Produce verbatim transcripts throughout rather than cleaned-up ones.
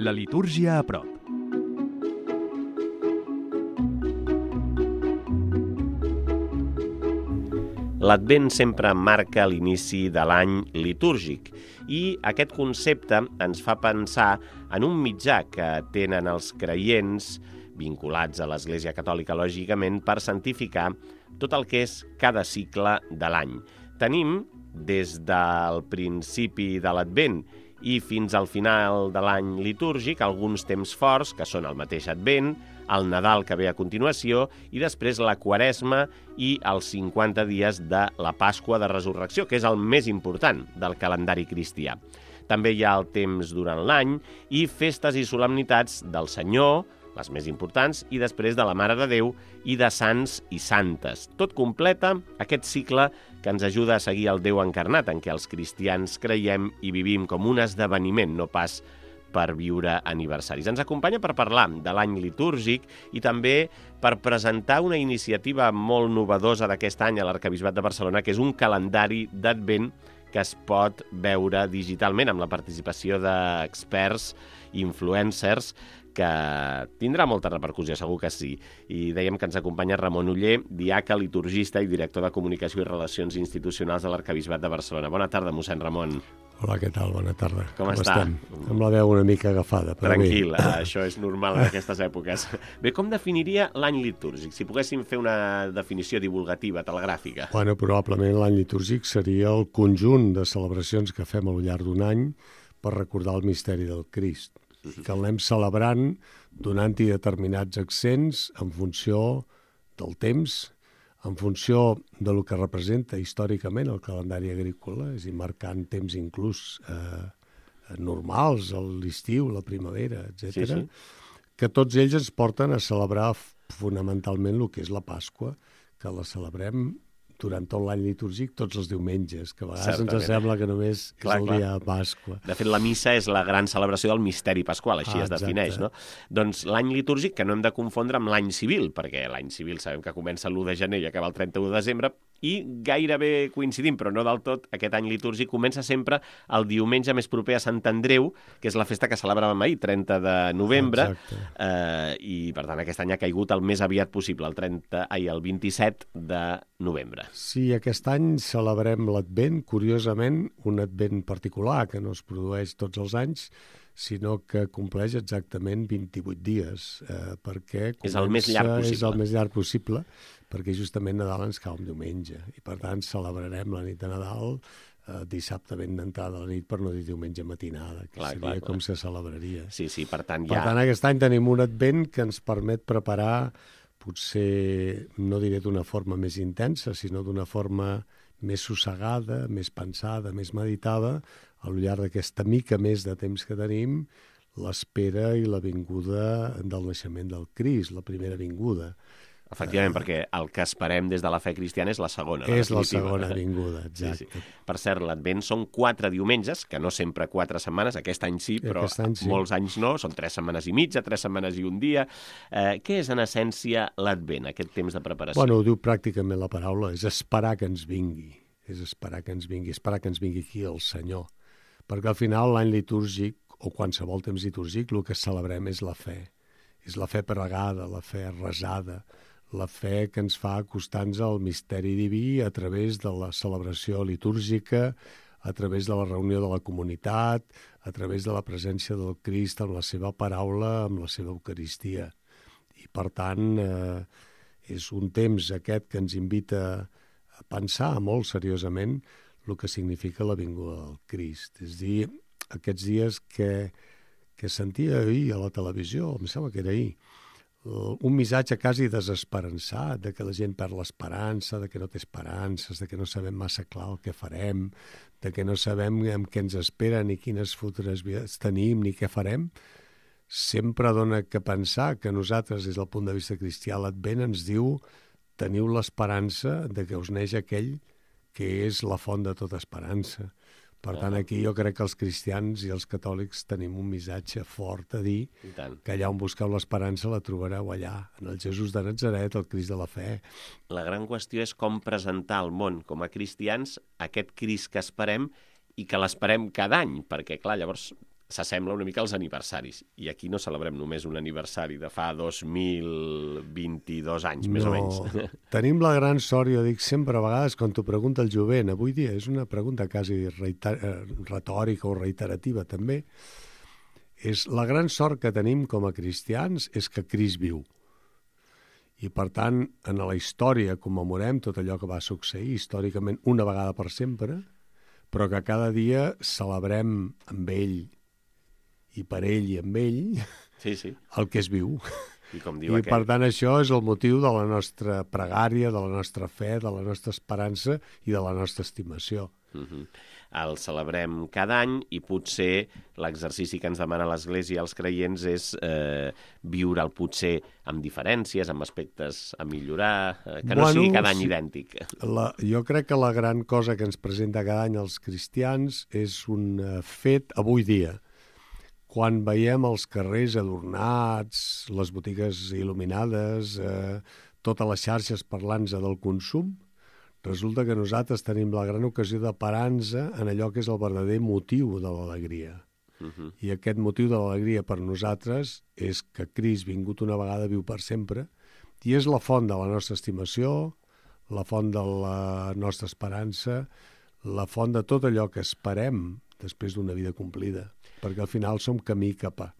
La litúrgia a prop. L'Advent sempre marca l'inici de l'any litúrgic i aquest concepte ens fa pensar en un mitjà que tenen els creients vinculats a l'Església Catòlica, lògicament, per santificar tot el que és cada cicle de l'any. Tenim, des del principi de l'Advent i fins al final de l'any litúrgic, alguns temps forts, que són el mateix Advent, el Nadal que ve a continuació, i després la Quaresma i els cinquanta dies de la Pasqua de Resurrecció, que és el més important del calendari cristià. També hi ha el temps durant l'any i festes i solemnitats del Senyor, les més importants, i després de la Mare de Déu i de sants i santes. Tot completa aquest cicle que ens ajuda a seguir el Déu encarnat, en què els cristians creiem i vivim com un esdeveniment, no pas per viure aniversaris. Ens acompanya per parlar de l'any litúrgic i també per presentar una iniciativa molt novedosa d'aquest any a l'Arquebisbat de Barcelona, que és un calendari d'Advent que es pot veure digitalment amb la participació d'experts, influencers, que tindrà molta repercussió, segur que sí. I dèiem que ens acompanya Ramon Oller, diaca, liturgista i director de Comunicació i Relacions Institucionals de l'Arquebisbat de Barcelona. Bona tarda, mossèn Ramon. Hola, què tal? Bona tarda. Com, Com està? Estem? Amb la veu una mica agafada. Però Tranquil, bé. Això és normal en aquestes èpoques. Bé, com definiria l'any litúrgic? Si poguéssim fer una definició divulgativa, telegràfica. Bueno, probablement l'any litúrgic seria el conjunt de celebracions que fem al llarg d'un any per recordar el misteri del Crist, i que el anem celebrant donant-hi determinats accents en funció del temps, en funció de lo que representa històricament el calendari agrícola, és a dir, marcant temps inclús eh, normals, l'estiu, la primavera, etcètera, sí, sí. Que tots ells ens porten a celebrar fonamentalment el que és la Pasqua, que la celebrem durant tot l'any litúrgic, tots els diumenges, que a vegades Certament. Ens sembla que només clar, és el clar. Dia de Pasqua. De fet, la missa és la gran celebració del misteri pasqual, així ah, es defineix, no? Doncs l'any litúrgic, que no hem de confondre amb l'any civil, perquè l'any civil sabem que comença l'u de gener i acaba el trenta-u de desembre, i gairebé coincidim, però no del tot, aquest any litúrgic comença sempre el diumenge més proper a Sant Andreu, que és la festa que celebràvem ahir, trenta de novembre, eh, i per tant aquest any ha caigut el més aviat possible, el, trenta, ai, el vint-i-set de novembre. Sí, aquest any celebrem l'Advent, curiosament, un Advent particular que no es produeix tots els anys, sinó que compleix exactament vint-i-vuit dies, eh, perquè és el més llarg possible. És el més llarg possible, perquè justament Nadal ens cau un diumenge, i per tant celebrarem la nit de Nadal eh, dissabte ben d'entrada a la nit, per no dir diumenge matinada, que clar, seria clar, com clar. Se celebraria. Sí, sí, per tant ja... Per tant, aquest any tenim un Advent que ens permet preparar, potser, no diré d'una forma més intensa, sinó d'una forma més sossegada, més pensada, més meditada, al llarg d'aquesta mica més de temps que tenim, l'espera i la vinguda del naixement del Crist, la primera vinguda. Efectivament, uh, perquè el que esperem des de la fe cristiana és la segona. És la, la segona vinguda, exacte. Sí, sí. Per cert, l'Advent són quatre diumenges, que no sempre quatre setmanes, aquest any sí, però any sí. molts anys no, són tres setmanes i mitja, tres setmanes i un dia. Eh, què és, en essència, l'Advent, aquest temps de preparació? Bueno, ho diu pràcticament la paraula, és esperar que ens vingui, és esperar que ens vingui, esperar que ens vingui aquí el Senyor. Perquè al final l'any litúrgic, o qualsevol temps litúrgic, el que celebrem és la fe. És la fe pregada, la fe resada, la fe que ens fa acostar-nos al misteri diví a través de la celebració litúrgica, a través de la reunió de la comunitat, a través de la presència del Crist amb la seva paraula, amb la seva Eucaristia. I, per tant, eh, és un temps aquest que ens invita a pensar molt seriosament el que significa la vinguda del Crist. És a dir, aquests dies que, que sentia ahir a la televisió, em sembla que era ahir, un missatge quasi desesperançat, de que la gent perd l'esperança, de que no té esperances, de que no sabem massa clar el que farem, de que no sabem amb què ens espera, ni quines futures vides tenim, ni què farem, sempre dona que pensar que nosaltres, des del punt de vista cristià, l'Advent ens diu teniu l'esperança de que us neix aquell que és la font de tota esperança. Per tant, aquí jo crec que els cristians i els catòlics tenim un missatge fort a dir que allà on busqueu l'esperança la trobareu allà, en el Jesús de Natzaret, el Crist de la fe. La gran qüestió és com presentar al món, com a cristians, aquest Crist que esperem i que l'esperem cada any, perquè, clar, llavors s'assembla una mica als aniversaris. I aquí no celebrem només un aniversari de fa dos mil vint-i-dos anys, més no. o menys. Tenim la gran sort, jo dic sempre a vegades, quan t'ho pregunta el jovent, avui dia és una pregunta quasi reiter... retòrica o reiterativa també, és la gran sort que tenim com a cristians és que Crist viu. I, per tant, en la història commemorem tot allò que va succeir històricament una vegada per sempre, però que cada dia celebrem amb ell i per ell i amb ell sí, sí. el que és viu. I, com diu I aquell... per tant, això és el motiu de la nostra pregària, de la nostra fe, de la nostra esperança i de la nostra estimació. Uh-huh. El celebrem cada any i potser l'exercici que ens demana l'Església als creients és eh, viure'l potser amb diferències, amb aspectes a millorar, eh, que no bueno, sigui cada any sí. idèntic. La, jo crec que la gran cosa que ens presenta cada any els cristians és un uh, fet avui dia. Quan veiem els carrers adornats, les botigues il·luminades, eh, totes les xarxes parlant-se del consum, resulta que nosaltres tenim la gran ocasió de parar-nos en allò que és el verdader motiu de l'alegria. Uh-huh. I aquest motiu de l'alegria per nosaltres és que Crist, vingut una vegada, viu per sempre, i és la font de la nostra estimació, la font de la nostra esperança, la font de tot allò que esperem després d'una vida complida, perquè al final som camí cap a...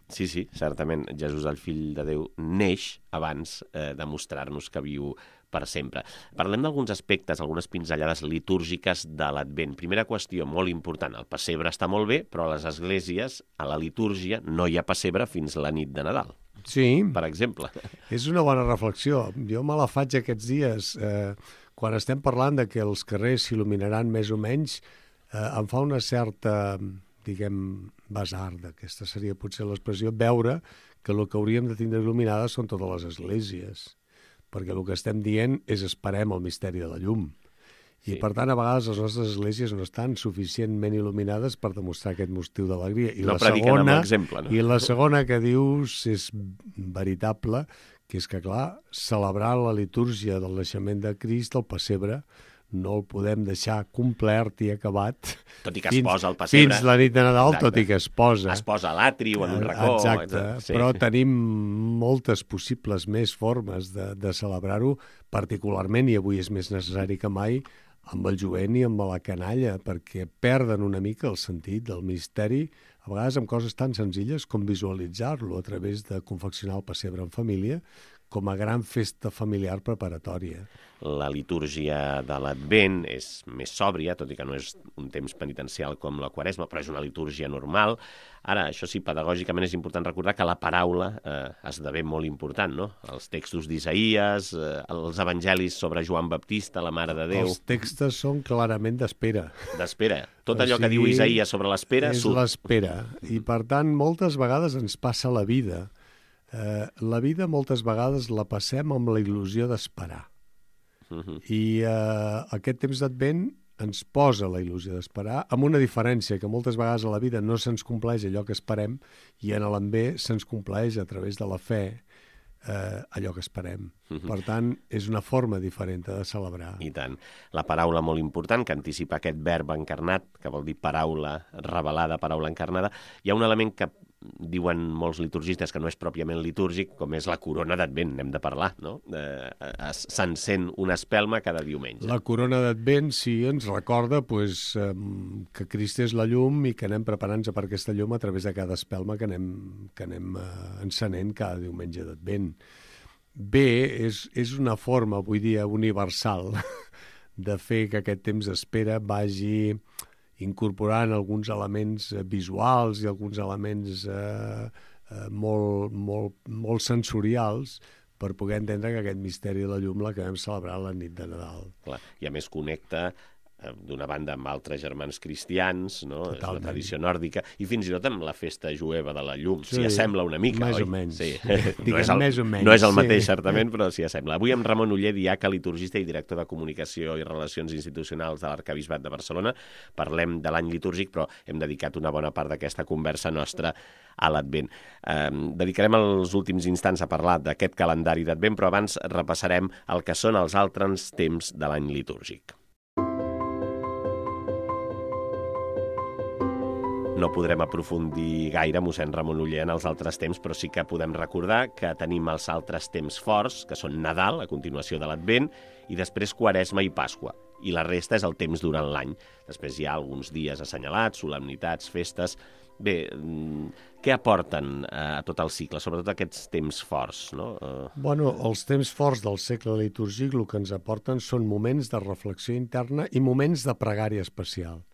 Sí, sí, certament. Jesús, el fill de Déu, neix abans eh, de mostrar-nos que viu per sempre. Parlem d'alguns aspectes, algunes pinzellades litúrgiques de l'Advent. Primera qüestió, molt important, el pessebre està molt bé, però a les esglésies, a la litúrgia, no hi ha pessebre fins la nit de Nadal. Sí. Per exemple. És una bona reflexió. Jo me la faig aquests dies. Eh, quan estem parlant de que els carrers s'il·luminaran més o menys, eh, em fa una certa, diguem, basarda, aquesta seria potser l'expressió, veure que el que hauríem de tindre il·luminades són totes les esglésies, perquè el que estem dient és esperem el misteri de la llum. I, sí. per tant, a vegades les nostres esglésies no estan suficientment il·luminades per demostrar aquest motiu d'alegria. I no la prediquen segona, amb l'exemple, no? I la segona que dius és veritable, que és que, clar, celebrar la litúrgia del naixement de Crist, el pessebre, no el podem deixar complert i acabat tot i que fins, es posa el pessebre. Fins la nit de Nadal, exacte. tot i que es posa. Es posa a l'atri o en un racó. Exacte, sí. Però tenim moltes possibles més formes de, de celebrar-ho, particularment, i avui és més necessari que mai, amb el jovent i amb la canalla, perquè perden una mica el sentit del misteri, a vegades amb coses tan senzilles com visualitzar-lo a través de confeccionar el pessebre en família, com a gran festa familiar preparatòria. La litúrgia de l'Advent és més sòbria, tot i que no és un temps penitencial com la Quaresma, però és una litúrgia normal. Ara, això sí, pedagògicament és important recordar que la paraula eh, esdevé molt important, no? Els textos d'Isaïes, eh, els evangelis sobre Joan Baptista, la Mare de Déu... Els textos són clarament d'espera. D'espera. Tot allò o sigui, que diu Isaïes sobre l'espera... És l'espera. I, per tant, moltes vegades ens passa la vida. Eh, la vida moltes vegades la passem amb la il·lusió d'esperar. Uh-huh. I eh, aquest temps d'Advent ens posa la il·lusió d'esperar, amb una diferència, que moltes vegades a la vida no se'ns compleix allò que esperem i en l'envé se'ns compleix a través de la fe eh, allò que esperem. Uh-huh. Per tant, és una forma diferent de celebrar. I tant. La paraula molt important, que anticipa aquest verb encarnat, que vol dir paraula revelada, paraula encarnada. Hi ha un element que diuen molts liturgistes que no és pròpiament litúrgic, com és la corona d'Advent, n'hem de parlar, no? Eh, S'encén una espelma cada diumenge. La corona d'Advent, sí, ens recorda pues, eh, que Crist és la llum i que anem preparant-nos per aquesta llum a través de cada espelma que anem, que anem eh, encenent cada diumenge d'Advent. Bé, és, és una forma, avui dia, universal de fer que aquest temps d'espera vagi incorporant alguns elements visuals i alguns elements eh, eh, molt, molt, molt sensorials per poder entendre que aquest misteri de la llum l'acabem celebrant la nit de Nadal. Clar, i a més connecta d'una banda amb altres germans cristians, no? És una tradició nòrdica, i fins i tot amb la festa jueva de la llum. Sí, s'hi assembla una mica, més oi? O menys. Sí. Diguem, no és el, més o menys. no és el mateix, sí. certament, però s'hi assembla. Avui amb Ramon Oller, diaca, liturgista i director de Comunicació i Relacions Institucionals de l'Arquebisbat de Barcelona, parlem de l'any litúrgic, però hem dedicat una bona part d'aquesta conversa nostra a l'Advent. Eh, dedicarem els últims instants a parlar d'aquest calendari d'Advent, però abans repassarem el que són els altres temps de l'any litúrgic. No podrem aprofundir gaire, mossèn Ramon Oller, en els altres temps, però sí que podem recordar que tenim els altres temps forts, que són Nadal, a continuació de l'Advent, i després Quaresma i Pasqua. I la resta és el temps durant l'any. Després hi ha alguns dies assenyalats, solemnitats, festes. Bé, què aporten a tot el cicle, sobretot aquests temps forts, no? Bueno, els temps forts del segle litúrgic el que ens aporten són moments de reflexió interna i moments de pregària especial.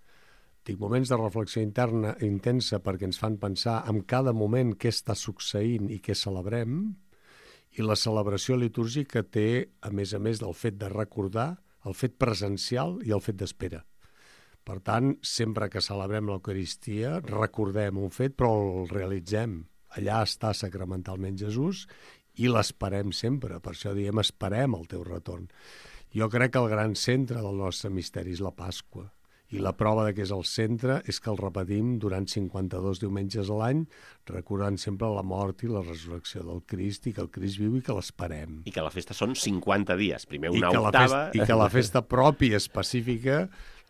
Dic moments de reflexió interna intensa perquè ens fan pensar en cada moment què està succeint i què celebrem, i la celebració litúrgica té, a més a més del fet de recordar, el fet presencial i el fet d'espera. Per tant, sempre que celebrem l'Eucaristia, recordem un fet, però el realitzem. Allà està sacramentalment Jesús i l'esperem sempre. Per això diem, esperem el teu retorn. Jo crec que el gran centre del nostre misteri és la Pasqua. I la prova de que és el centre és que el repetim durant cinquanta-dos diumenges a l'any, recordant sempre la mort i la resurrecció del Crist, i que el Crist viu i que l'esperem. I que la festa són cinquanta dies, primer una I octava... Festa, I que la festa pròpia específica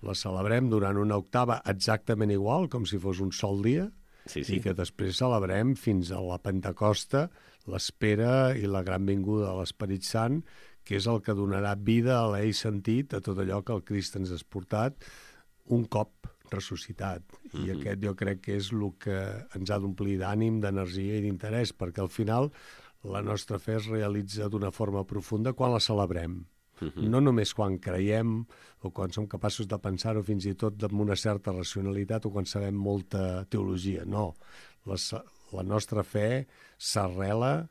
la celebrem durant una octava exactament igual, com si fos un sol dia, sí, sí. I que després celebrem fins a la Pentecosta, l'espera i la gran vinguda de l'Esperit Sant, que és el que donarà vida, alè i sentit a tot allò que el Crist ens ha portat un cop ressuscitat. I mm-hmm. aquest jo crec que és el que ens ha d'omplir d'ànim, d'energia i d'interès, perquè al final la nostra fe es realitza d'una forma profunda quan la celebrem. Mm-hmm. No només quan creiem o quan som capaços de pensar-ho fins i tot amb una certa racionalitat o quan sabem molta teologia. No, la, la nostra fe s'arrela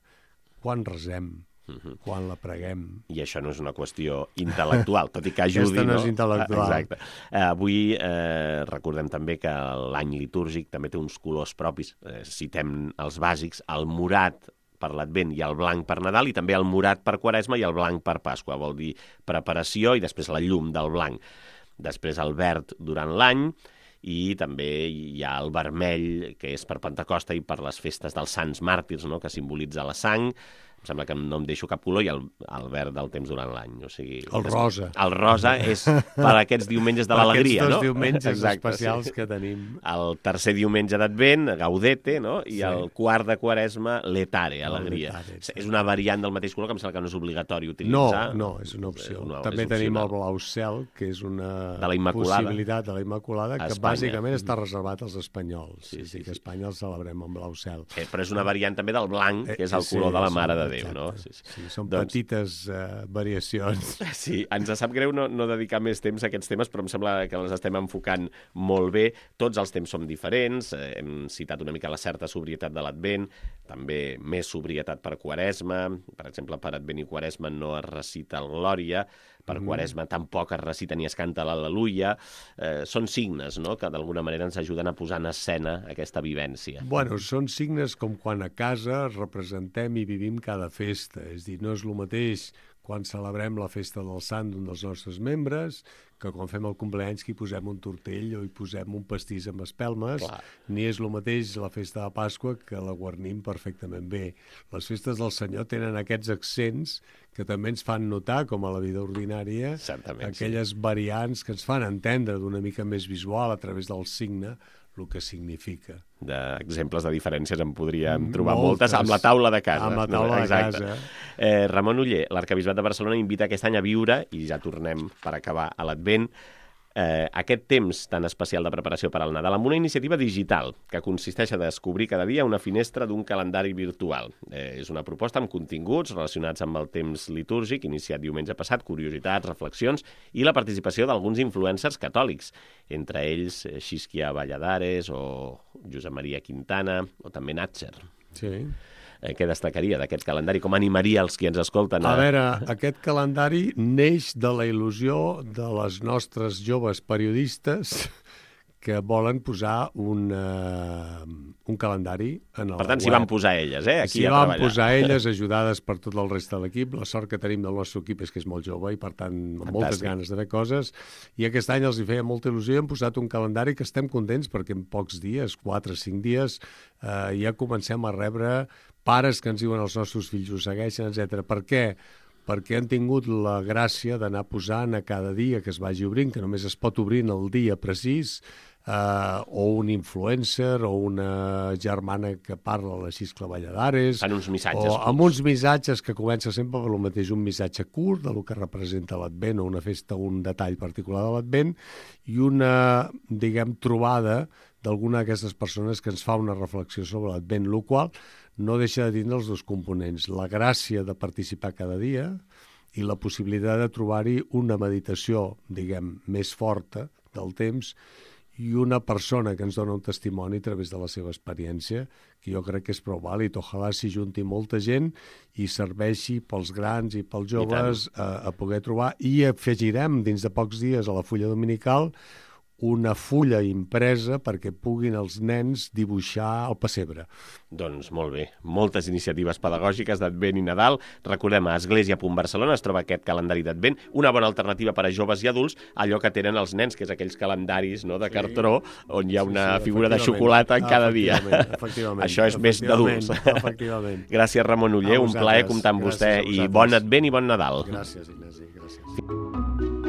quan resem, uh-huh. quan la preguem. I això no és una qüestió intel·lectual, tot i que ajudi, Aquesta no, no és intel·lectual. Exacte. Uh, avui eh, recordem també que l'any litúrgic també té uns colors propis. Eh, citem els bàsics, el morat per l'Advent i el blanc per Nadal, i també el morat per Quaresma i el blanc per Pasqua. Vol dir preparació i després la llum del blanc. Després el verd durant l'any, i també hi ha el vermell, que és per Pentecosta i per les festes dels sants màrtirs, no?, que simbolitza la sang. Em sembla que no em deixo cap color, i el, el verd del temps durant l'any. O sigui, el rosa. El rosa és per aquests diumenges de l'alegria, no? Aquests dos diumenges Exacte, especials sí. que tenim. El tercer diumenge d'Advent, Gaudete, no? I sí. El quart de Quaresma, Letare, alegria. Letare, sí. És una variant del mateix color, que em sembla que no és obligatori utilitzar. No, no, és una opció. No, també tenim el blau cel, que és una de la possibilitat de la Immaculada, que Espanya. Bàsicament està reservat als espanyols. Sí, sí, sí, sí, que a Espanya el celebrem amb blau cel. Eh, però és una variant també del blanc, que és el color sí, de la sí, Mare de exacte. Déu, no? Sí, sí. Sí, són doncs... petites uh, variacions. Sí, ens sap greu no, no dedicar més temps a aquests temes, però em sembla que les estem enfocant molt bé. Tots els temps són diferents, eh, hem citat una mica la certa sobrietat de l'Advent, també més sobrietat per Quaresma, per exemple, per Advent i Quaresma no es recita el Glòria, per Quaresma tampoc es recita ni es canta l'Al·leluia. Eh, són signes, no?, que d'alguna manera ens ajuden a posar en escena aquesta vivència. Bueno, són signes com quan a casa representem i vivim cada festa. És dir, no és el mateix quan celebrem la festa del sant d'un dels nostres membres, que quan fem el compleanys que hi posem un tortell o hi posem un pastís amb espelmes, Clar. Ni és el mateix la festa de Pasqua, que la guarnim perfectament bé. Les festes del Senyor tenen aquests accents que també ens fan notar, com a la vida ordinària, Certament, aquelles sí. variants que ens fan entendre d'una mica més visual a través del signe el que significa. D'exemples de diferències en podríem trobar moltes, moltes amb la taula de casa. Amb la taula no, de casa. Eh, Ramon Oller, l'Arquebisbat de Barcelona invita aquest any a viure, i ja tornem per acabar a l'Advent, eh, aquest temps tan especial de preparació per al Nadal amb una iniciativa digital que consisteix a descobrir cada dia una finestra d'un calendari virtual. Eh, és una proposta amb continguts relacionats amb el temps litúrgic, iniciat diumenge passat, curiositats, reflexions i la participació d'alguns influencers catòlics, entre ells eh, Xisquia Valladares o Josep Maria Quintana o també Natcher. Sí. Eh, què destacaria d'aquest calendari? Com animaria els qui ens escolten? A... a veure, aquest calendari neix de la il·lusió de les nostres joves periodistes que volen posar un, uh, un calendari en el Per tant, web. s'hi van posar elles, eh? Aquí s'hi a van treballar. posar elles, ajudades per tot el reste de l'equip. La sort que tenim del nostre equip és que és molt jove i, per tant, amb Fantàstic. moltes ganes de fer coses. I aquest any els hi feia molta il·lusió i hem posat un calendari que estem contents perquè en pocs dies, quatre o cinc dies, uh, ja comencem a rebre pares que ens diuen els nostres fills ho segueixen, etcètera. Per què? Perquè han tingut la gràcia d'anar posant a cada dia que es vagi obrint, que només es pot obrir en el dia precís, Uh, o un influencer o una germana que parla a les sis clavalladares. Fan uns missatges. O amb uns missatges que comença sempre per el mateix, un missatge curt de lo que representa l'Advent o una festa, un detall particular de l'Advent, i una, diguem, trobada d'alguna d'aquestes persones que ens fa una reflexió sobre l'Advent, el qual no deixa de tindre els dos components, la gràcia de participar cada dia i la possibilitat de trobar-hi una meditació, diguem, més forta del temps, i una persona que ens dona un testimoni a través de la seva experiència, que jo crec que és prou vàlid. Ojalà s'hi junti molta gent i serveixi pels grans i pels joves a, a poder trobar. I afegirem dins de pocs dies a la fulla dominical una fulla impresa perquè puguin els nens dibuixar el pessebre. Doncs molt bé. Moltes iniciatives pedagògiques d'Advent i Nadal. Recordem, a Església punt Barcelona es troba aquest calendari d'Advent, una bona alternativa per a joves i adults, allò que tenen els nens, que és aquells calendaris, no, de sí. cartró, on hi ha una sí, sí, figura de xocolata en cada dia. Efectivament. Això és més d'adults. Efectivament. Gràcies, Ramon Oller, un plaer comptar amb vostè, i bon Advent i bon Nadal. Gràcies, Ignasi. Gràcies.